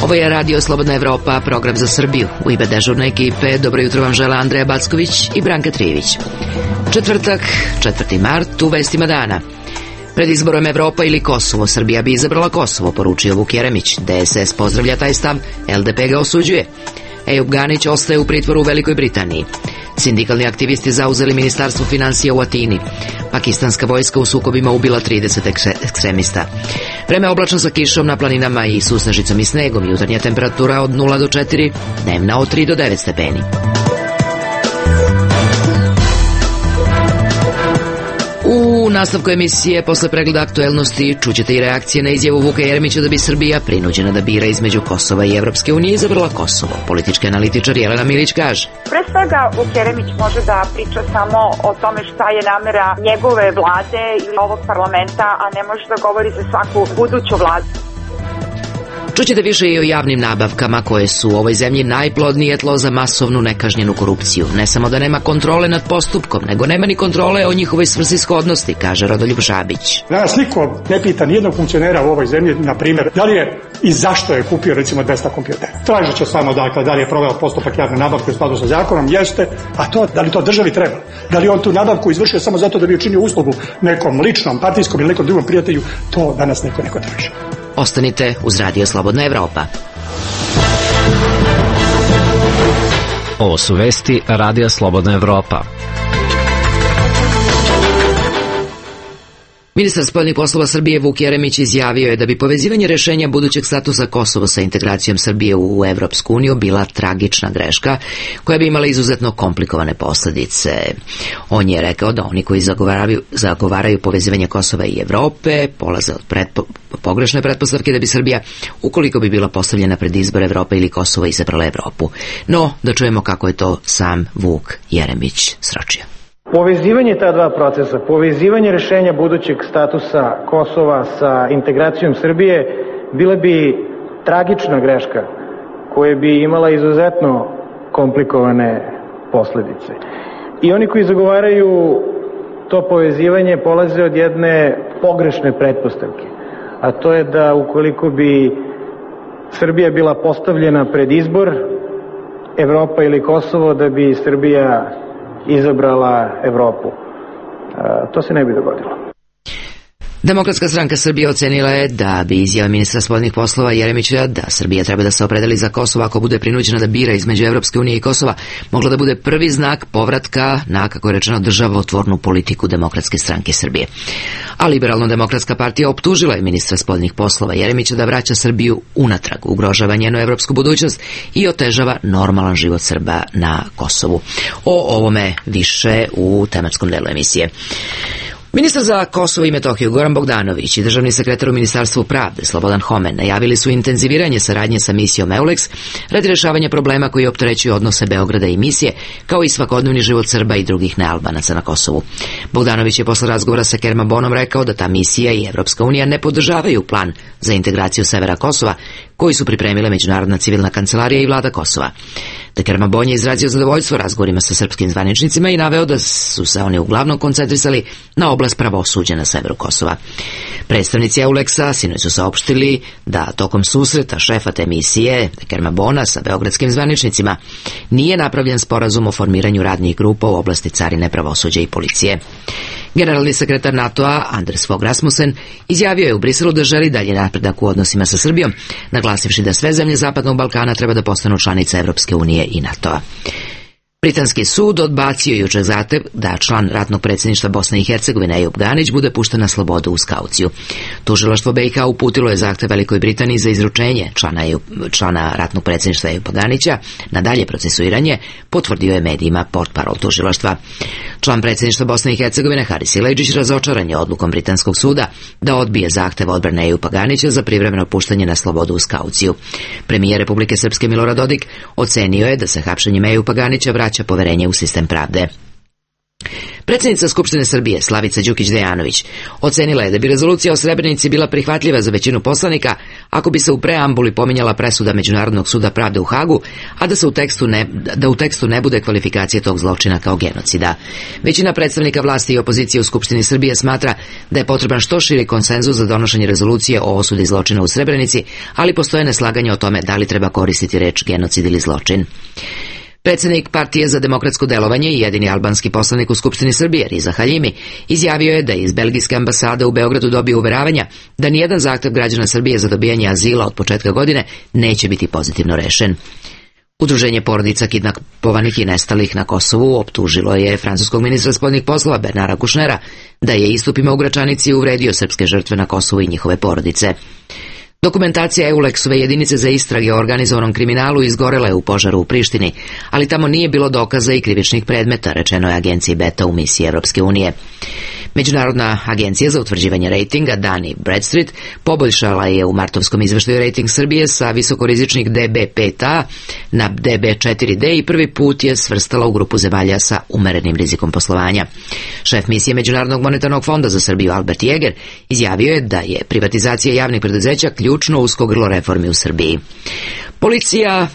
Ovo je Radio Slobodna Evropa, program za Srbiju. U ime dežurne ekipe, dobro jutro vam žele Andreja Backović i Branka Trijević. Četvrtak, 4. mart, u vestima dana. Pred izborom Evropa ili Kosovo, Srbija bi izabrala Kosovo, poručio Vuk Jeremić. DSS pozdravlja taj stav, LDP ga osuđuje. Ejub Ganić ostaje u pritvoru u Velikoj Britaniji. Sindikalni aktivisti zauzeli ministarstvo finansija u Atini. Pakistanska vojska u sukobima ubila 30 ekstremista. Vreme oblačno sa kišom na planinama i susnežicom i snegom. Jutarnja temperatura od 0 do 4, dnevna od 3 do 9 stepeni. U nastavku emisije, posle pregleda aktuelnosti, čućete i reakcije na izjavu Vuka Jeremića da bi Srbija, prinuđena da bira između Kosova i Evropske unije, izabrala Kosovo. Politički analitičar Jelena Milić kaže: Pre svega, Vuk Jeremić može da priča samo o tome šta je namera njegove vlade ili ovog parlamenta, a ne može da govori za svaku buduću vladu. Čućete više i o javnim nabavkama koje su u ovoj zemlji najplodnije tlo za masovnu nekažnjenu korupciju. Ne samo da nema kontrole nad postupkom, nego nema ni kontrole o njihovoj svrsishodnosti, kaže Rodoljub Žabić. Danas niko ne pita nijednog funkcionera u ovoj zemlji, na primjer, da li je i zašto je kupio recimo 200 kompjutera. Tražit će samo dakle, da li je proveo postupak javne nabavke u skladu sa zakonom, jeste, a to, da li to državi treba? Da li on tu nabavku izvršio samo zato da bi učinio uslugu nekom ličnom, partijskom ili nekom drugom prijatelju, to danas neko ne traži. Ostanite uz Radio Slobodna Evropa. Ovo su vesti Radija Slobodna Evropa. Ministar spoljnih poslova Srbije Vuk Jeremić izjavio je da bi povezivanje rešenja budućeg statusa Kosova sa integracijom Srbije u Evropsku uniju bila tragična greška koja bi imala izuzetno komplikovane posledice. On je rekao da oni koji zagovaraju povezivanje Kosova i Evrope polaze od pogrešne pretpostavke da bi Srbija, ukoliko bi bila postavljena pred izbor Evrope ili Kosova, izabrala Evropu. No, da čujemo kako je to sam Vuk Jeremić sročio. Povezivanje ta dva procesa, povezivanje rešenja budućeg statusa Kosova sa integracijom Srbije bila bi tragična greška koja bi imala izuzetno komplikovane posledice. I oni koji zagovaraju to povezivanje polaze od jedne pogrešne pretpostavke, a to je da ukoliko bi Srbija bila postavljena pred izbor, Evropa ili Kosovo, da bi Srbija izabrala Evropu. To se ne bi dogodilo. Demokratska stranka Srbije ocenila je da bi izjava ministra spoljnih poslova Jeremića da Srbija treba da se opredeli za Kosovo ako bude prinuđena da bira između Evropske unije i Kosova mogla da bude prvi znak povratka na, kako je rečeno, državotvornu politiku Demokratske stranke Srbije. A Liberalno-demokratska partija optužila je ministra spoljnih poslova Jeremića da vraća Srbiju unatrag, ugrožava njenu evropsku budućnost i otežava normalan život Srba na Kosovu. O ovome više u tematskom delu emisije. Ministar za Kosovo i Metohiju Goran Bogdanović i državni sekretar u Ministarstvu pravde Slobodan Homen najavili su intenziviranje saradnje sa misijom EULEX radi rešavanja problema koji opterećuju odnose Beograda i misije, kao i svakodnevni život Srba i drugih nealbanaca na Kosovu. Bogdanović je posle razgovora sa Kerma Bonom rekao da ta misija i Evropska unija ne podržavaju plan za integraciju severa Kosova koji su pripremile Međunarodna civilna kancelarija i vlada Kosova. Kerma Bon je izrazio zadovoljstvo razgovorima sa srpskim zvaničnicima i naveo da su se oni uglavnom koncentrisali na oblast pravosuđa na severu Kosova. Predstavnici EULEX-a sinoć su saopštili da tokom susreta šefa te misije Kerma Bona sa beogradskim zvaničnicima nije napravljen sporazum o formiranju radnih grupa u oblasti carine, pravosuđa i policije. Generalni sekretar NATO-a Anders Fogh Rasmussen izjavio je u Briselu da želi dalje napredak u odnosima sa Srbijom, naglasivši da sve zemlje Zapadnog Balkana treba da postanu članice Evropske unije i NATO-a. Britanski sud odbacio jučer zahtev da član ratnog predsjedništva Bosne i Hercegovine Ejub Ganić bude pušten na slobodu uz kauciju. Tužilaštvo BiH uputilo je zahtev Velikoj Britaniji za izručenje člana ratnog predsjedništva Ejuba Ganića na dalje procesuiranje, potvrdio je medijima portparol tužilaštva. Član predsjedništva Bosne i Hercegovine Haris Silajdžić razočaran je odlukom britanskog suda da odbije zahtev odbrane Ejuba Ganića za privremeno puštanje na slobodu uz kauciju. Premijer Republike Srpske Milorad Dodik ocenio je da se hapšenjem Ejuba Ganića vraća poverenje u sistem pravde. Predsjednica Skupštine Srbije, Slavica Đukić-Dejanović, ocenila je da bi rezolucija o Srebrenici bila prihvatljiva za većinu poslanika ako bi se u preambuli pominjala presuda Međunarodnog suda pravde u Hagu, a da u tekstu ne bude kvalifikacije tog zločina kao genocida. Većina predstavnika vlasti i opozicije u Skupštini Srbije smatra da je potreban što širi konsenzus za donošenje rezolucije o osudi zločina u Srebrenici, ali postoje neslaganje o tome da li treba koristiti reč genocid ili zločin. Predsjednik Partije za demokratsko delovanje i jedini albanski poslanik u Skupštini Srbije, Riza Haljimi, izjavio je da je iz belgijske ambasade u Beogradu dobio uveravanja da nijedan zahtev građana Srbije za dobijanje azila od početka godine neće biti pozitivno rešen. Udruženje porodica kidnapovanih i nestalih na Kosovu optužilo je francuskog ministra spoljnih poslova Bernara Kušnera da je istupima u Gračanici uvredio srpske žrtve na Kosovu i njihove porodice. Dokumentacija EULEX-ove jedinice za istrage o organizovanom kriminalu izgorela je u požaru u Prištini, ali tamo nije bilo dokaza i krivičnih predmeta, rečeno je agenciji Beta u misiji Evropske unije. Međunarodna agencija za utvrđivanje rejtinga Dani Bradstreet poboljšala je u martovskom izveštaju rejting Srbije sa visokorizičnih DB5A na DB4D i prvi put je svrstala u grupu zemalja sa umerenim rizikom poslovanja. Šef misije Međunarodnog monetarnog fonda za Srbiju Albert Jeger izjavio je da je privatizacija javnih preduzeća ključno usko grlo reformi u Srbiji.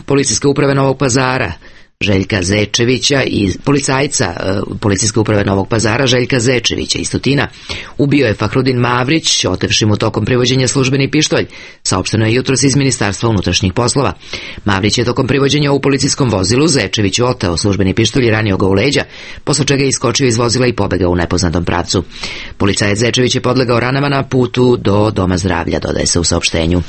Policijske uprave Novog Pazara Željka Zečevića i policajca Policijske uprave Novog Pazara Željka Zečevića iz Tutina ubio je Fahrudin Mavrić, otevši mu tokom privođenja službeni pištolj, saopšteno je jutros iz Ministarstva unutrašnjih poslova. Mavrić je tokom privođenja u policijskom vozilu Zečeviću oteo službeni pištolj i ranio ga u leđa, posle čega je iskočio iz vozila i pobegao u nepoznatom pravcu. Policajac Zečević je podlegao ranama na putu do doma zdravlja, dodaje se u saopštenju.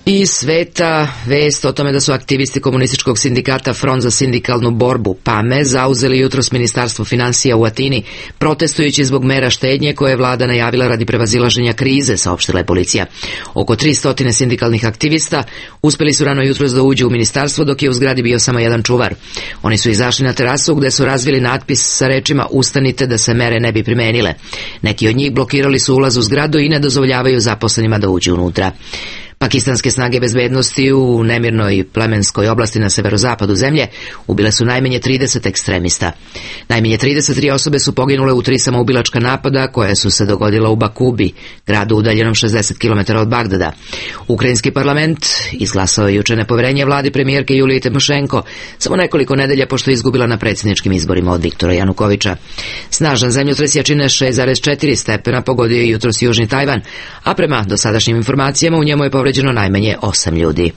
Iz sveta vest o tome da su aktivisti komunističkog sindikata Front za sindikalnu borbu PAME zauzeli jutros Ministarstvo finansija u Atini, protestujući zbog mera štednje koje je vlada najavila radi prevazilaženja krize, saopštila je policija. Oko 300 sindikalnih aktivista uspeli su rano jutros da uđu u ministarstvo, dok je u zgradi bio samo jedan čuvar. Oni su izašli na terasu gde su razvili natpis sa rečima "Ustanite da se mere ne bi primenile". Neki od njih blokirali su ulaz u zgradu i ne dozvoljavaju zaposlenima da uđu unutra. Pakistanske snage bezbednosti u nemirnoj plemenskoj oblasti na severozapadu zemlje ubile su najmanje 30 ekstremista. Najmanje 33 osobe su poginule u 3 samoubilačka napada koja su se dogodila u Bakubi, gradu udaljenom 60 km od Bagdada. Ukrajinski parlament izglasao je juče nepoverenje vladi premijerke Julije Timošenko, samo nekoliko nedelja pošto je izgubila na predsjedničkim izborima od Viktora Janukoviča. Snažan zemljotres jačine 6,4 stepena pogodio je jutros južni Tajvan, a prema dosadašnjim informacijama u njemu je povređeno najmanje 8 ljudi.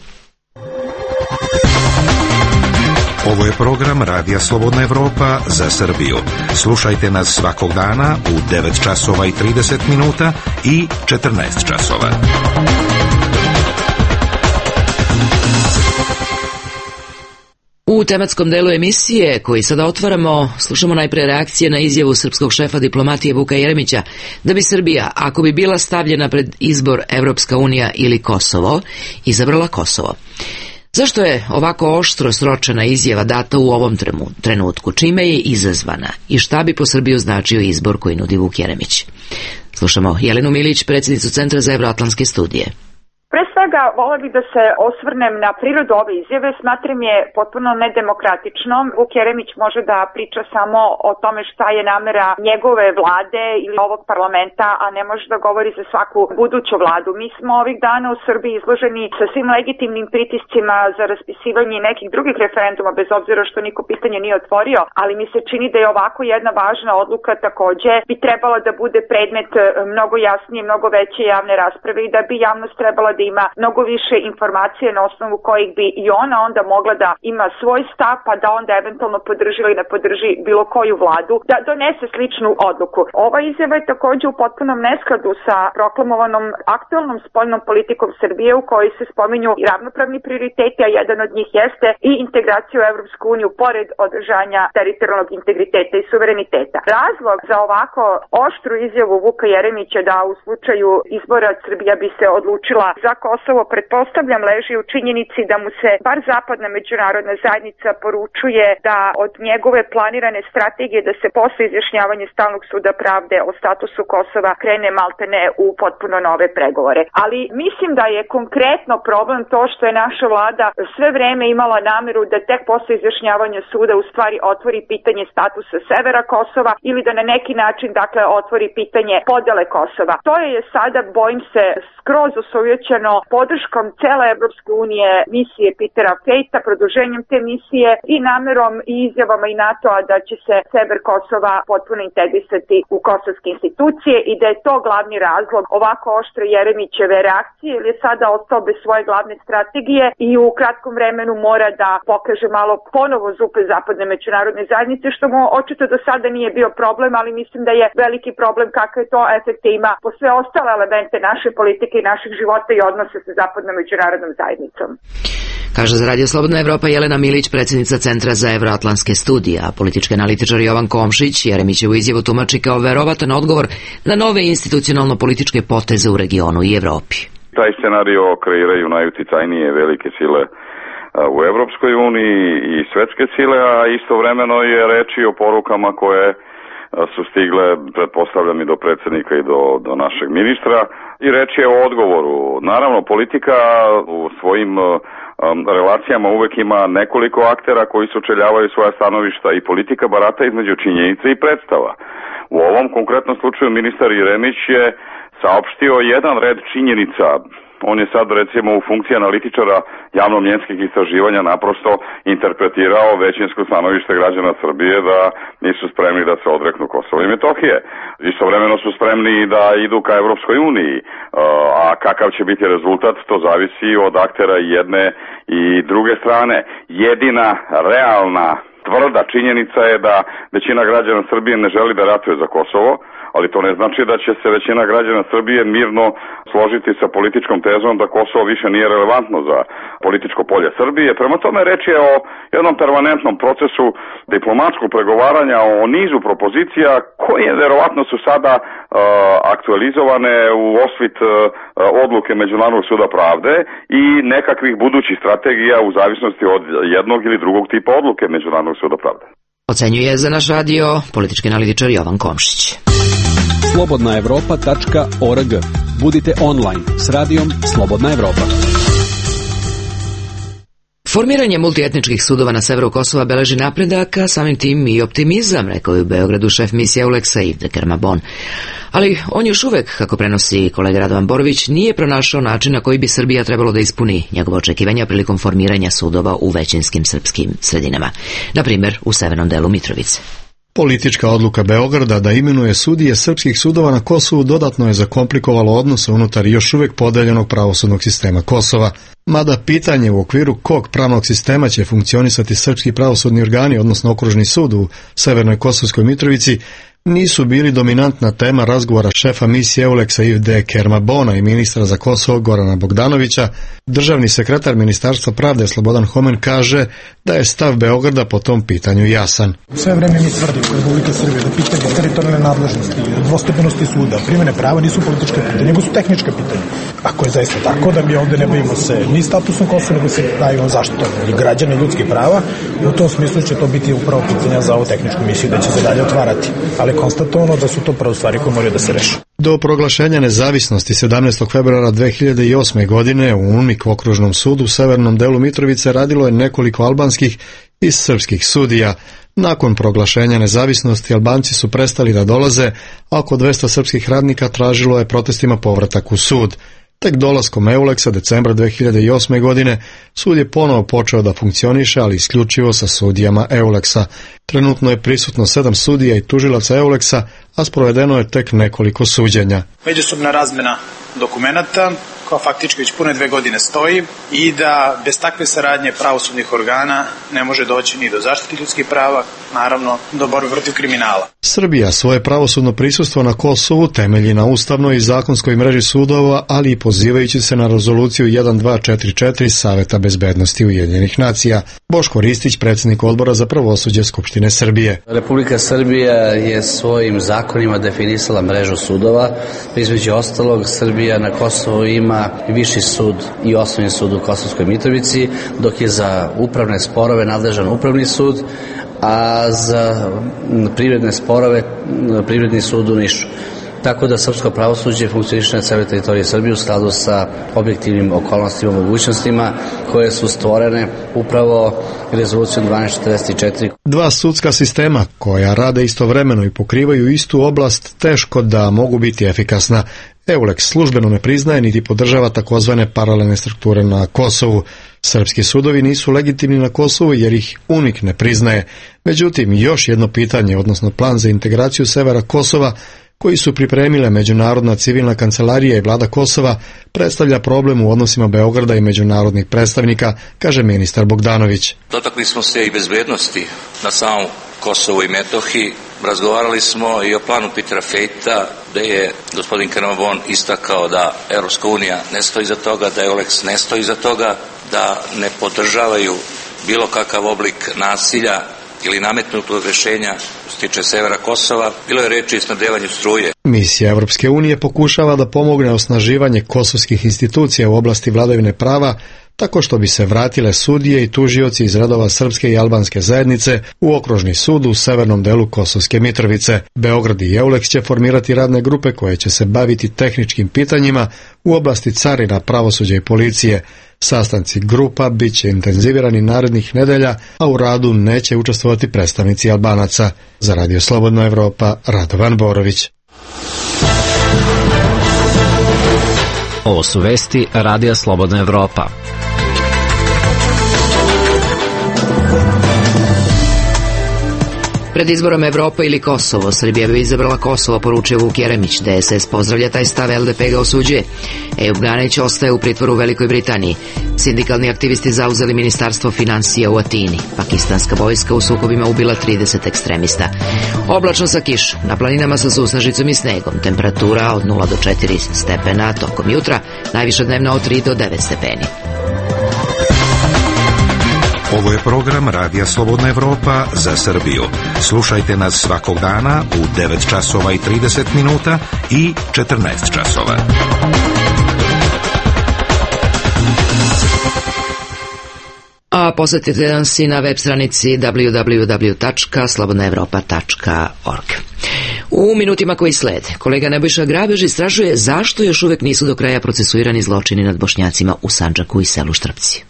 Ovo je program Radija Slobodna Evropa za Srbiju. Slušajte nas svakog dana u 9 časova i 30 minuta i 14 časova. U tematskom delu emisije, koji sada otvaramo, slušamo najpre reakcije na izjavu srpskog šefa diplomatije Vuka Jeremića da bi Srbija, ako bi bila stavljena pred izbor Evropska unija ili Kosovo, izabrala Kosovo. Zašto je ovako oštro sročena izjava data u ovom trenutku? Čime je izazvana i šta bi po Srbiju značio izbor koji nudi Vuk Jeremić? Slušamo Jelenu Milić, predsjednicu Centra za evroatlantske studije. Pre svega, vola bih da se osvrnem na prirodu ove izjave, smatram je potpuno nedemokratičnom. Vuk Jeremić može da priča samo o tome šta je namera njegove vlade ili ovog parlamenta, a ne može da govori za svaku buduću vladu. Mi smo ovih dana u Srbiji izloženi sa svim legitimnim pritiscima za raspisivanje nekih drugih referenduma, bez obzira što niko pitanje nije otvorio, ali mi se čini da je ovako jedna važna odluka takođe bi trebala da bude predmet mnogo jasnije, mnogo veće javne rasprave i da bi javnost trebala da ima mnogo više informacije na osnovu kojih bi i ona onda mogla da ima svoj stav, pa da onda eventualno podrži ili ne podrži bilo koju vladu, da donese sličnu odluku. Ova izjava je takođe u potpunom neskladu sa proklamovanom aktualnom spoljnom politikom Srbije u kojoj se spominju i ravnopravni prioriteti, a jedan od njih jeste i integracija u Evropsku uniju pored održanja teritorijalnog integriteta i suvereniteta. Razlog za ovako oštru izjavu Vuka Jeremića da u slučaju izbora Srbija bi se odlučila za Kosovo Kosovo, pretpostavljam, leži u činjenici da mu se bar zapadna međunarodna zajednica poručuje da od njegove planirane strategije da se posle izjašnjavanja Stalnog suda pravde o statusu Kosova krene maltene u potpuno nove pregovore. Ali mislim da je konkretno problem to što je naša vlada sve vreme imala nameru da tek posle izjašnjavanja suda u stvari otvori pitanje statusa severa Kosova ili da na neki način otvori pitanje podele Kosova. To je sada, bojim se, skroz osovjećeno podrškom cele Evropske unije misije Petera Fejta, produženjem te misije i namerom i izjavama i NATO-a da će se sever Kosova potpuno integrisati u kosovske institucije i da je to glavni razlog ovako oštre Jeremićeve reakcije, jer je sada ostao bez svoje glavne strategije i u kratkom vremenu mora da pokaže malo ponovo zupe zapadne međunarodne zajednice, što mu očito do sada nije bio problem, ali mislim da je veliki problem kakve to efekte ima po sve ostale elemente naše politike i naših života i odnose sa zapadnom međunarodnom zajednicom. Kaže za Radio Slobodna Evropa Jelena Milić, predsjednica Centra za evroatlantske studije, a politički analitičar Jovan Komšić Jeremićevu izjavu tumači kao verovatan odgovor na nove institucionalno-političke poteze u regionu i Evropi. Taj scenario kreiraju najuticajnije velike sile u Evropskoj uniji i svetske sile, a istovremeno je reč i o porukama koje su stigle, pretpostavljam, i do predsjednika i do našeg ministra, i reč je o odgovoru. Naravno, politika u svojim relacijama uvek ima nekoliko aktera koji sučeljavaju svoja stanovišta i politika barata između činjenica i predstava. U ovom konkretnom slučaju ministar Jeremić je saopštio jedan red činjenica. On je sad, recimo, u funkciji analitičara javno-mnjenskih istraživanja naprosto interpretirao većinsko stanovište građana Srbije da nisu spremni da se odreknu Kosova i Metohije. Istovremeno su spremni da idu ka Evropskoj uniji, a kakav će biti rezultat, to zavisi od aktera jedne i druge strane. Jedina realna tvrda činjenica je da većina građana Srbije ne želi da ratuje za Kosovo, ali to ne znači da će se većina građana Srbije mirno složiti sa političkom tezom da Kosovo više nije relevantno za političko polje Srbije. Prema tome, reč je o jednom permanentnom procesu diplomatskog pregovaranja, o nizu propozicija koje verovatno su sada aktualizovane u osvit odluke Međunarodnog suda pravde i nekakvih budućih strategija u zavisnosti od jednog ili drugog tipa odluke Međunarodnog suda pravde. Ocenjuje za naš radio politički analitičar Jovan Komšić. slobodnaevropa.org. Budite online s radijom Slobodna Evropa. Formiranje multietničkih sudova na severu Kosova beleži napredak, a samim tim i optimizam, rekao je u Beogradu šef misije EULEX-a Yves de Kermabon. Ali on još uvek, kako prenosi kolega Radovan Borović, nije pronašao način na koji bi Srbija trebalo da ispuni njegove očekivanja prilikom formiranja sudova u većinskim srpskim sredinama, na primjer u severnom delu Mitrovice. Politička odluka Beograda da imenuje sudije srpskih sudova na Kosovu dodatno je zakomplikovalo odnose unutar još uvijek podeljenog pravosudnog sistema Kosova. Mada pitanje u okviru kog pravnog sistema će funkcionisati srpski pravosudni organi, odnosno okružni sud u severnoj Kosovskoj Mitrovici, nisu bili dominantna tema razgovora šefa misije EULEX-a Yves de Kermabona i ministra za Kosovo Gorana Bogdanovića. Državni sekretar Ministarstva pravde Slobodan Homen kaže da je stav Beograda po tom pitanju jasan. Sve vreme mi tvrdimo u Republike Srbije da pitanje teritorijalne nadležnosti, dvostepenosti suda, primjene prava nisu političke pitanje, nego su tehničke pitanje. Ako je zaista tako da mi ovde ne bavimo se ni statusom Kosova, nego se bavimo zaštitom i građana i ljudskih prava, i u tom smislu će to biti upravo pitanja za ovu tehničku misiju da će se dalje otvarati. Ali konstatovano da su to prvo stvari koje moraju da se reše. Do proglašenja nezavisnosti 17. februara 2008. godine u UNMIK okružnom sudu u severnom delu Mitrovice radilo je nekoliko albanskih i srpskih sudija. Nakon proglašenja nezavisnosti Albanci su prestali da dolaze, a oko 200 srpskih radnika tražilo je protestima povratak u sud. Tek dolaskom EULEX-a decembra 2008. godine sud je ponovo počeo da funkcioniše, ali isključivo sa sudijama EULEX-a. Trenutno je prisutno 7 sudija i tužilaca EULEX-a, a sprovedeno je tek nekoliko suđenja. Međusobna razmena dokumenata koja faktički već pune 2 godine stoji i da bez takve saradnje pravosudnih organa ne može doći ni do zaštite ljudskih prava, naravno do borbe protiv kriminala. Srbija svoje pravosudno prisustvo na Kosovu temelji na ustavnoj i zakonskoj mreži sudova, ali i pozivajući se na rezoluciju 1244 Saveta bezbednosti Ujedinjenih nacija. Boško Ristić, predsjednik odbora za pravosuđe Skupštine Srbije. Republika Srbija je svojim zakonima definisala mrežu sudova. Između ostalog, Srbija na Kosovu ima ima Viši sud i Osnovni sud u Kosovskoj Mitrovici, dok je za upravne sporove nadležan Upravni sud, a za privredne sporove Privredni sud u Nišu. Tako da srpsko pravosuđe funkcioniše na celoj teritoriji Srbije u skladu sa objektivnim okolnostima i mogućnostima koje su stvorene upravo rezolucijom 1244. Dva sudska sistema koja rade istovremeno i pokrivaju istu oblast teško da mogu biti efikasna. EULEX službeno ne priznaje niti podržava takozvane paralelne strukture na Kosovu. Srpski sudovi nisu legitimni na Kosovu jer ih UNIK ne priznaje. Međutim, još jedno pitanje, odnosno plan za integraciju severa Kosova, koji su pripremile Međunarodna civilna kancelarija i vlada Kosova, predstavlja problem u odnosima Beograda i međunarodnih predstavnika, kaže ministar Bogdanović. Dotakli smo se i bezbednosti na samom Kosovu i Metohiji. Razgovarali smo i o planu Petera Fejta, gde je gospodin Kernabon istakao da Evropska unija ne stoji za toga, da EULEX ne stoji za toga, da ne podržavaju bilo kakav oblik nasilja ili nametnutog rešenja što se tiče severa Kosova. Bilo je reči o snabdevanju struje. Misija Evropske unije pokušava da pomogne osnaživanje kosovskih institucija u oblasti vladavine prava tako što bi se vratile sudije i tužioci iz redova srpske i albanske zajednice u okružni sud u severnom delu Kosovske Mitrovice. Beograd i EULEX će formirati radne grupe koje će se baviti tehničkim pitanjima u oblasti carina, pravosuđa i policije. Sastanci grupa bit će intenzivirani narednih nedelja, a u radu neće učestvovati predstavnici Albanaca. Za Radio Slobodna Evropa, Radovan Borović. Ovo su vesti Radija Slobodna Evropa. Pred izborom Evropa ili Kosovo, Srbija bi izabrala Kosovo, poručio Vuk Jeremić. DSS pozdravlja taj stav, LDP ga osuđuje. Ejub Ganić ostaje u pritvoru u Velikoj Britaniji. Sindikalni aktivisti zauzeli ministarstvo financija u Atini. Pakistanska vojska u sukobima ubila 30 ekstremista. Oblačno sa kišom, na planinama sa susnežicom i snegom. Temperatura od 0 do 4 stepena, tokom jutra najviša dnevna od 3 do 9 stepeni. Ovo je program Radija Slobodna Evropa za Srbiju. Slušajte nas svakog dana u 9 časova i 30 minuta i 14 časova. A posjetite nas i na web stranici www.slobodnaevropa.org. U minutima koji slede, kolega Nebojša Grabež istražuje zašto još uvek nisu do kraja procesuirani zločini nad Bošnjacima u Sandžaku i selu Štrpci.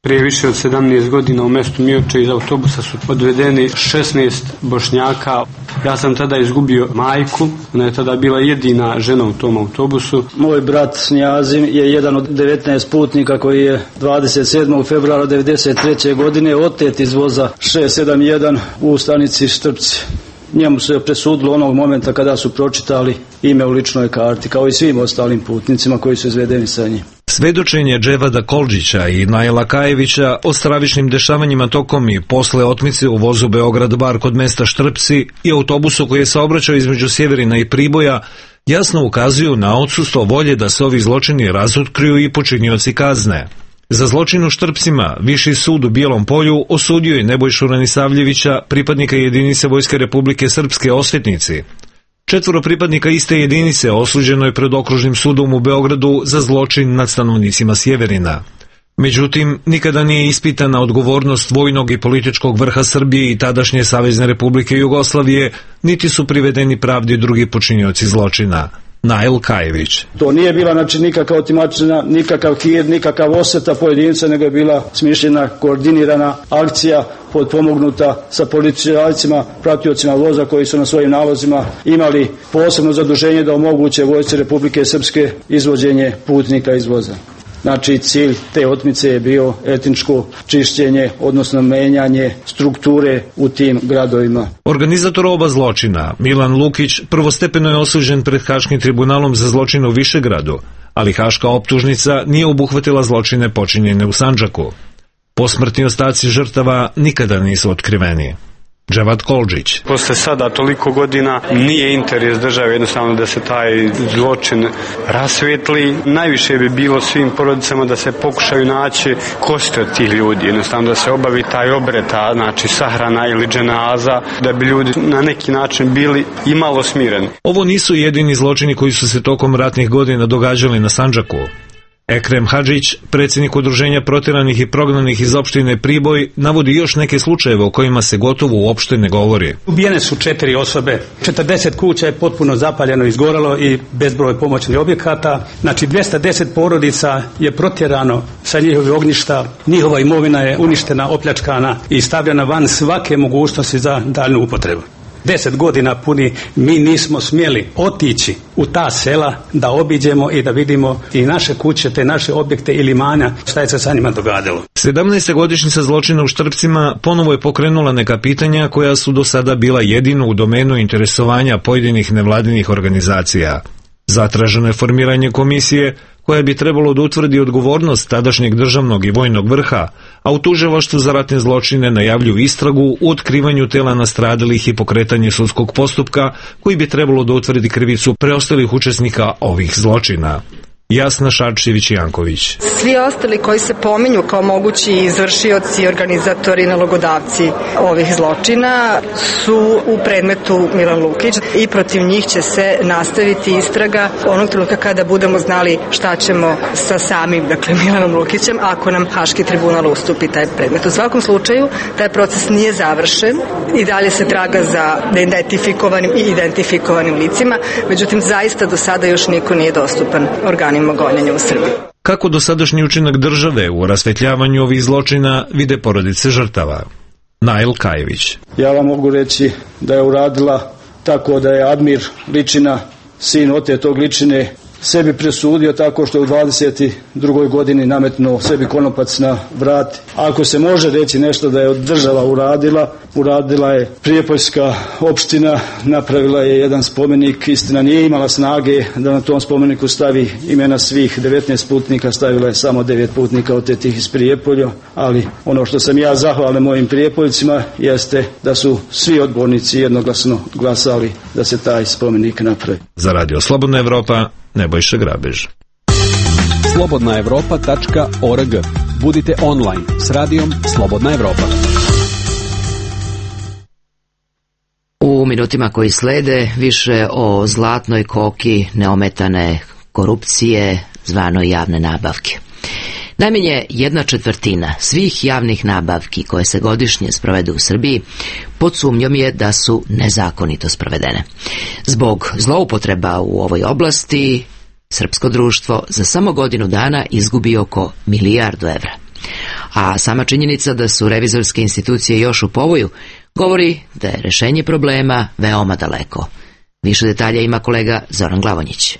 Prije više od 17 godina u mestu Mioče iz autobusa su odvedeni 16 Bošnjaka. Ja sam tada izgubio majku, ona je tada bila jedina žena u tom autobusu. Moj brat Snjazim je jedan od 19 putnika koji je 27. februara 1993. godine otet iz voza 671 u stanici Štrpci. Njemu se presudilo onog momenta kada su pročitali ime u ličnoj karti, kao i svim ostalim putnicima koji su izvedeni sa njim. Svedočenje Dževada Koldžića i Naila Kajevića o stravičnim dešavanjima tokom i posle otmice u vozu Beograd-Bar kod mesta Štrpci i autobusu koji je saobraćao između Sjeverina i Priboja jasno ukazuju na odsustvo volje da se ovi zločini razotkriju i počinioci kazne. Za zločin u Štrpcima Viši sud u Bijelom Polju osudio je Nebojšu Ranisavljevića, pripadnika jedinice Vojske Republike Srpske Osvetnici. 4 pripadnika iste jedinice osuđeno je pred okružnim sudom u Beogradu za zločin nad stanovnicima Sjeverina. Međutim, nikada nije ispitana odgovornost vojnog i političkog vrha Srbije i tadašnje Savezne Republike Jugoslavije, niti su privedeni pravdi drugi počinioci zločina. Nail Kajević. To nije bila nikakva otimačina, nikakav hir, nikakav osveta pojedinca, nego je bila smišljena, koordinirana akcija potpomognuta sa policajcima, pratiocima voza koji su na svojim nalozima imali posebno zaduženje da omoguće Vojsci Republike Srpske izvođenje putnika iz voza. Znači, cilj te otmice je bio etničko čišćenje, odnosno menjanje strukture u tim gradovima. Organizator oba zločina, Milan Lukić, prvostepeno je osuđen pred Haškim tribunalom za zločine u Višegradu, ali haška optužnica nije obuhvatila zločine počinjene u Sandžaku. Posmrtni ostaci žrtava nikada nisu otkriveni. Dževad Koldžić. Posle sada toliko godina nije interes države jednostavno da se taj zločin rasvetli. Najviše bi bilo svim porodicama da se pokušaju naći kosti od tih ljudi, jednostavno da se obavi taj obred, znači sahrana ili dženaza, da bi ljudi na neki način bili i malo smireni. Ovo nisu jedini zločini koji su se tokom ratnih godina događali na Sandžaku. Ekrem Hadžić, predsjednik udruženja protjeranih i prognanih iz opštine Priboj, navodi još neke slučajeve o kojima se gotovo uopšte ne govori. Ubijene su 4 osobe, 40 kuća je potpuno zapaljeno, izgorelo i bezbroj pomoćnih objekata. Znači 210 porodica je protjerano sa njihovih ognjišta, njihova imovina je uništena, opljačkana i stavljena van svake mogućnosti za daljnju upotrebu. 10 godina puni mi nismo smjeli otići u ta sela da obiđemo i da vidimo i naše kuće, te naše objekte ili imanja, šta je se sa njima događalo. 17. godišnjica zločina u Štrpcima ponovo je pokrenula neka pitanja koja su do sada bila jedino u domenu interesovanja pojedinih nevladinih organizacija. Zatraženo je formiranje komisije koja bi trebalo da utvrdi odgovornost tadašnjeg državnog i vojnog vrha, a u tužilaštvu za ratne zločine najavljuju istragu u otkrivanju tela nastradalih i pokretanje sudskog postupka koji bi trebalo da utvrdi krivicu preostalih učesnika ovih zločina. Jasna Šarčević-Janković. Svi ostali koji se pominju kao mogući izvršioci, organizatori, nalogodavci ovih zločina su u predmetu Milan Lukić i protiv njih će se nastaviti istraga onog trenutka kada budemo znali šta ćemo sa samim, Milanom Lukićem, ako nam Haški tribunal ustupi taj predmet. U svakom slučaju, taj proces nije završen i dalje se traga za neidentifikovanim i identifikovanim licima, međutim, zaista do sada još niko nije dostupan organima gonjenja u Srbiji. Kako dosadašnji učinak države u rasvetljavanju ovih zločina vide porodice žrtava? Nail Kajević. Ja vam mogu reći da je uradila tako da je Admir Ličina, sin otetog Ličine, sebi presudio tako što je u 22. godini nametnuo sebi konopac na vrat. Ako se može reći nešto da je država uradila je Prijepoljska opština, napravila je jedan spomenik, istina nije imala snage da na tom spomeniku stavi imena svih 19 putnika, stavila je samo 9 putnika otetih iz Prijepolja, ali ono što sam ja zahvalan mojim Prijepoljcima jeste da su svi odbornici jednoglasno glasali da se taj spomenik napravi. Za Radio Slobodna Evropa, Nebojša Grabež. slobodnaevropa.org. Budite online s radijom Slobodna Evropa. U minutima koji slede više o zlatnoj koki neometane korupcije zvanoj javne nabavke. Najmanje 1/4 svih javnih nabavki koje se godišnje sprovede u Srbiji pod sumnjom je da su nezakonito sprovedene. Zbog zloupotreba u ovoj oblasti srpsko društvo za samo godinu dana izgubi oko 1 milijardu evra. A sama činjenica da su revizorske institucije još u povoju govori da je rešenje problema veoma daleko. Više detalja ima kolega Zoran Glavonjić.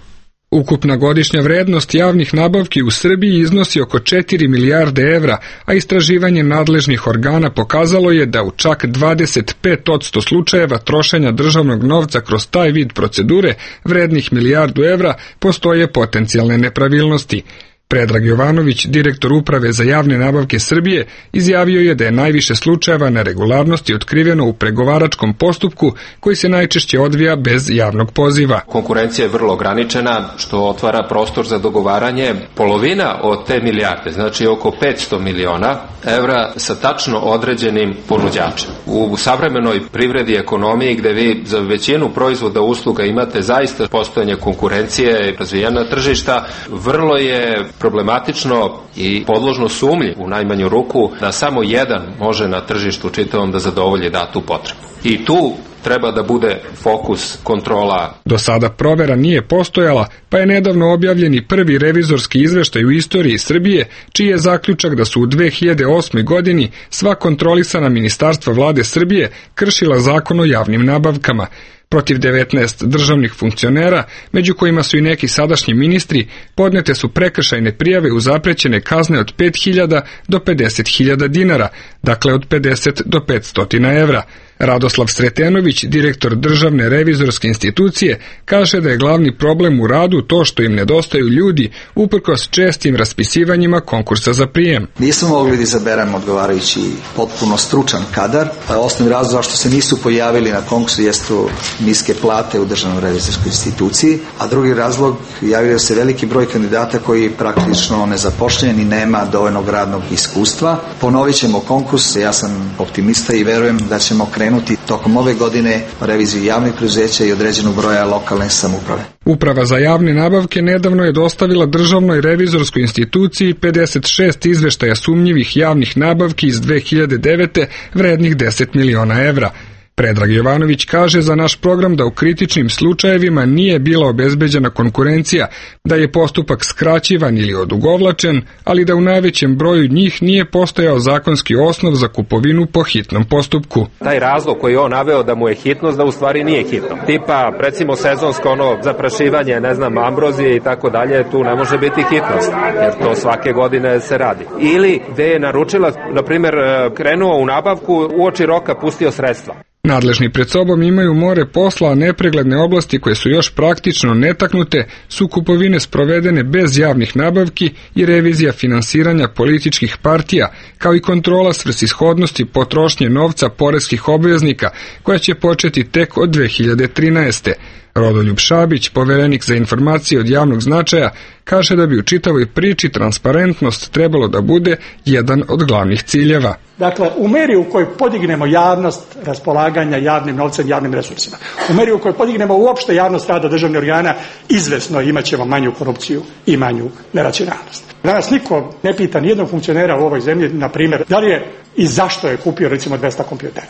Ukupna godišnja vrednost javnih nabavki u Srbiji iznosi oko 4 milijarde evra, a istraživanje nadležnih organa pokazalo je da u čak 25% slučajeva trošenja državnog novca kroz taj vid procedure vrednih 1 milijardu evra postoje potencijalne nepravilnosti. Predrag Jovanović, direktor Uprave za javne nabavke Srbije, izjavio je da je najviše slučajeva neregularnosti otkriveno u pregovaračkom postupku koji se najčešće odvija bez javnog poziva. Konkurencija je vrlo ograničena, što otvara prostor za dogovaranje. Polovina od te milijarde, znači oko 500 miliona evra sa tačno određenim ponuđačem. U savremenoj privredi i ekonomiji gde vi za većinu proizvoda usluga imate zaista postojanje konkurencije i razvijena tržišta, vrlo je problematično i podložno sumnji u najmanju ruku da samo jedan može na tržištu čitavom da zadovolji datu potrebu. I tu treba da bude fokus kontrola. Do sada provera nije postojala, pa je nedavno objavljeni prvi revizorski izveštaj u istoriji Srbije, čiji je zaključak da su u 2008. godini sva kontrolisana ministarstva vlade Srbije kršila zakon o javnim nabavkama. Protiv 19 državnih funkcionera, među kojima su i neki sadašnji ministri, podnete su prekršajne prijave uz zaprećene kazne od 5.000 do 50.000 dinara, dakle od 50 do 500 evra. Radoslav Sretenović, direktor Državne revizorske institucije, kaže da je glavni problem u radu to što im nedostaju ljudi uprkos čestim raspisivanjima konkursa za prijem. Nismo mogli da izaberemo odgovarajući potpuno stručan kadar. Osnovni razlog zašto se nisu pojavili na konkursu jesu niske plate u Državnoj revizorskoj instituciji, a drugi razlog javio se veliki broj kandidata koji praktično nezapošljen i nema dovoljnog radnog iskustva. Ponovit ćemo konkurs, ja sam optimista i verujem da ćemo krenuti pokrenuti tokom ove godine reviziju javnih preduzeća i određenog broja lokalne samouprave. Uprava za javne nabavke nedavno je dostavila Državnoj revizorskoj instituciji 56 izveštaja sumnjivih javnih nabavki iz 2009. vrednih 10 miliona evra. Predrag Jovanović kaže za naš program da u kritičnim slučajevima nije bila obezbeđena konkurencija, da je postupak skraćivan ili odugovlačen, ali da u najvećem broju njih nije postojao zakonski osnov za kupovinu po hitnom postupku. Taj razlog koji je on naveo da mu je hitnost, da u stvari nije hitno. Tipa, recimo sezonsko zaprašivanje, ambrozije i tako dalje, tu ne može biti hitnost, jer to svake godine se radi. Ili gde je naručilac, na primjer, krenuo u nabavku, uoči roka pustio sredstva. Nadležni pred sobom imaju more posla, a nepregledne oblasti koje su još praktično netaknute su kupovine sprovedene bez javnih nabavki i revizija finansiranja političkih partija, kao i kontrola svrsishodnosti potrošnje novca poreskih obveznika, koja će početi tek od 2013. Rodoljub Šabić, poverenik za informacije od javnog značaja, kaže da bi u čitavoj priči transparentnost trebalo da bude jedan od glavnih ciljeva. Dakle, u meri u kojoj podignemo javnost raspolaganja javnim novcem, javnim resursima, u meri u kojoj podignemo uopšte javnost rada državnih organa, izvesno imat ćemo manju korupciju i manju neracionalnost. Danas niko ne pita nijednog funkcionera u ovoj zemlji, na primjer, da li je i zašto je kupio recimo 200 kompjutera.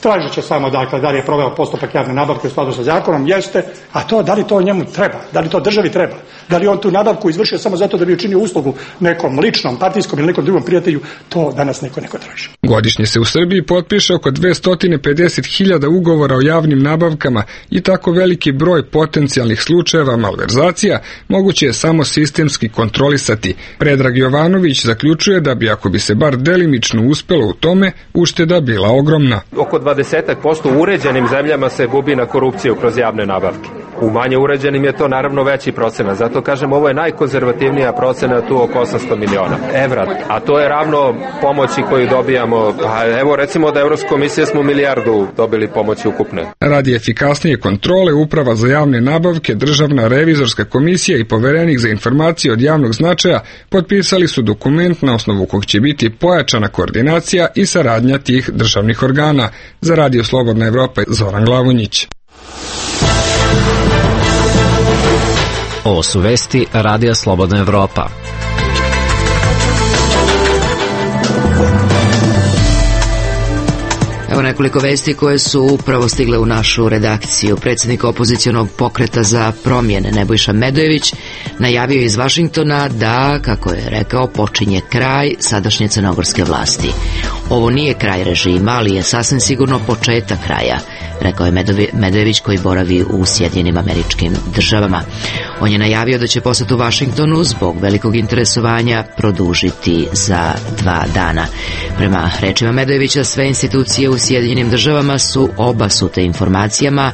Tražit će samo da li je proveo postupak javne nabavke u skladu sa zakonom, jeste, a to da li to njemu treba, da li to državi treba, da li on tu nabavku izvršio samo zato da bi učinio uslugu nekom ličnom, partijskom ili nekom drugom prijatelju, to danas neko traži. Godišnje se u Srbiji potpiše oko 250.000 ugovora o javnim nabavkama i tako veliki broj potencijalnih slučajeva malverzacija moguće je samo sistemski kontrolisati. Predrag Jovanović zaključuje da bi, ako bi se bar delimično uspelo u tome, ušteda bila ogromna. Oko 20% u uređenim zemljama se gubi na korupciju kroz javne nabavke. U manje uređenim je to naravno veći procenat. Zato kažem, ovo je najkonzervativnija procena, tu oko 800 miliona evra. A to je ravno pomoći koju dobijamo. Pa evo recimo da Evropska komisija smo milijardu dobili pomoći ukupne. Radi efikasnije kontrole, Uprava za javne nabavke, Državna revizorska komisija i poverenik za informacije od javnog značaja potpisali su dokument na osnovu kog će biti pojačana koordinacija i saradnja tih državnih organa. Za Radio Slobodna Evropa, Zoran Glavonjić. Ovo su vesti Radija Slobodna Evropa. Evo nekoliko vesti koje su upravo stigle u našu redakciju. Predsjednik opozicionog pokreta za promjene Nebojša Medojević najavio iz Vašingtona da, kako je rekao, počinje kraj sadašnje crnogorske vlasti. Ovo nije kraj režima, ali je sasvim sigurno početak kraja, rekao je Medojević koji boravi u Sjedinjenim Američkim Državama. On je najavio da će posjet u Vašingtonu zbog velikog interesovanja produžiti za 2 dana. Prema rečima Medojevića, sve institucije u Sjedinjenim Državama su obasute informacijama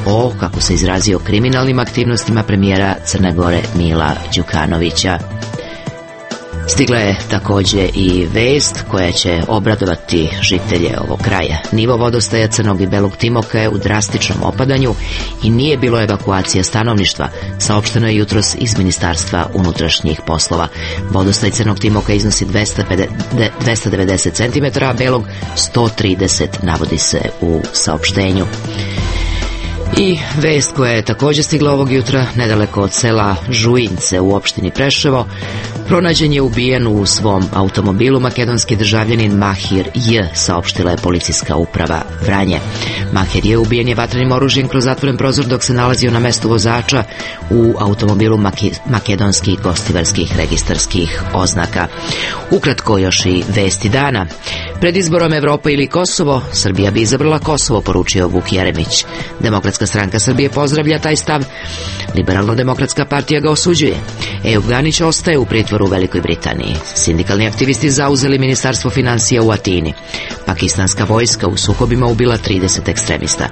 o, kako se izrazio, kriminalnim aktivnostima premijera Crne Gore Mila Đukanovića. Stigla je također i vest koja će obradovati žitelje ovog kraja. Nivo vodostaja Crnog i Belog Timoka je u drastičnom opadanju i nije bilo evakuacija stanovništva, saopšteno je jutros iz Ministarstva unutrašnjih poslova. Vodostaj Crnog Timoka iznosi 290 cm, a Belog 130, navodi se u saopštenju. I vest koja je također stigla ovog jutra nedaleko od sela Žujince u opštini Preševo, pronađen je ubijen u svom automobilu makedonski državljanin Mahir J, saopštila je policijska uprava Vranje. Mahir J ubijen je vatrenim oružjem kroz zatvoren prozor dok se nalazio na mestu vozača u automobilu makedonskih gostivarskih registarskih oznaka. Ukratko još i vesti dana. Pred izborom Evropa ili Kosovo, Srbija bi izabrala Kosovo, poručio Vuk Jeremić. Demokratska stranka Srbije pozdravlja taj stav, Liberalno-demokratska partija ga osuđuje. Ejup Ganić ostaje u pritvoru u Velikoj Britaniji. Sindikalni aktivisti zauzeli ministarstvo financija u Atini. Pakistanska vojska u sukobima ubila 30 ekstremista.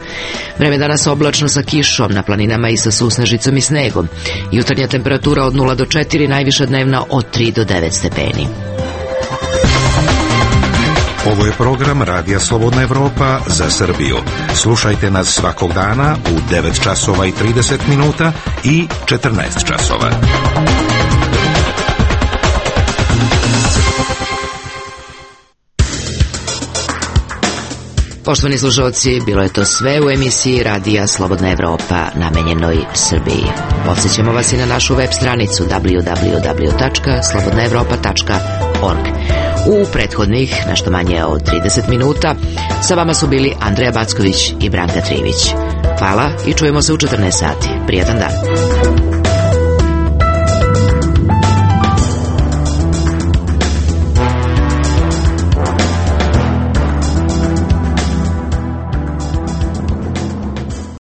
Vreme danas oblačno sa kišom na planinama i sa susnežicom i snegom. Jutarnja temperatura od 0 do 4, najviša dnevna od 3 do 9 stepeni. Ovo je program Radija Slobodna Evropa za Srbiju. Slušajte nas svakog dana u 9 časova i 30 minuta i 14 časova. Poštovani slušalci, bilo je to sve u emisiji Radija Slobodna Evropa namenjenoj Srbiji. Podsjećamo vas i na našu web stranicu www.slobodnaevropa.org. U prethodnih, nešto manje od 30 minuta, sa vama su bili Andreja Backović i Branka Trivić. Hvala i čujemo se u 14 sati. Prijatan dan.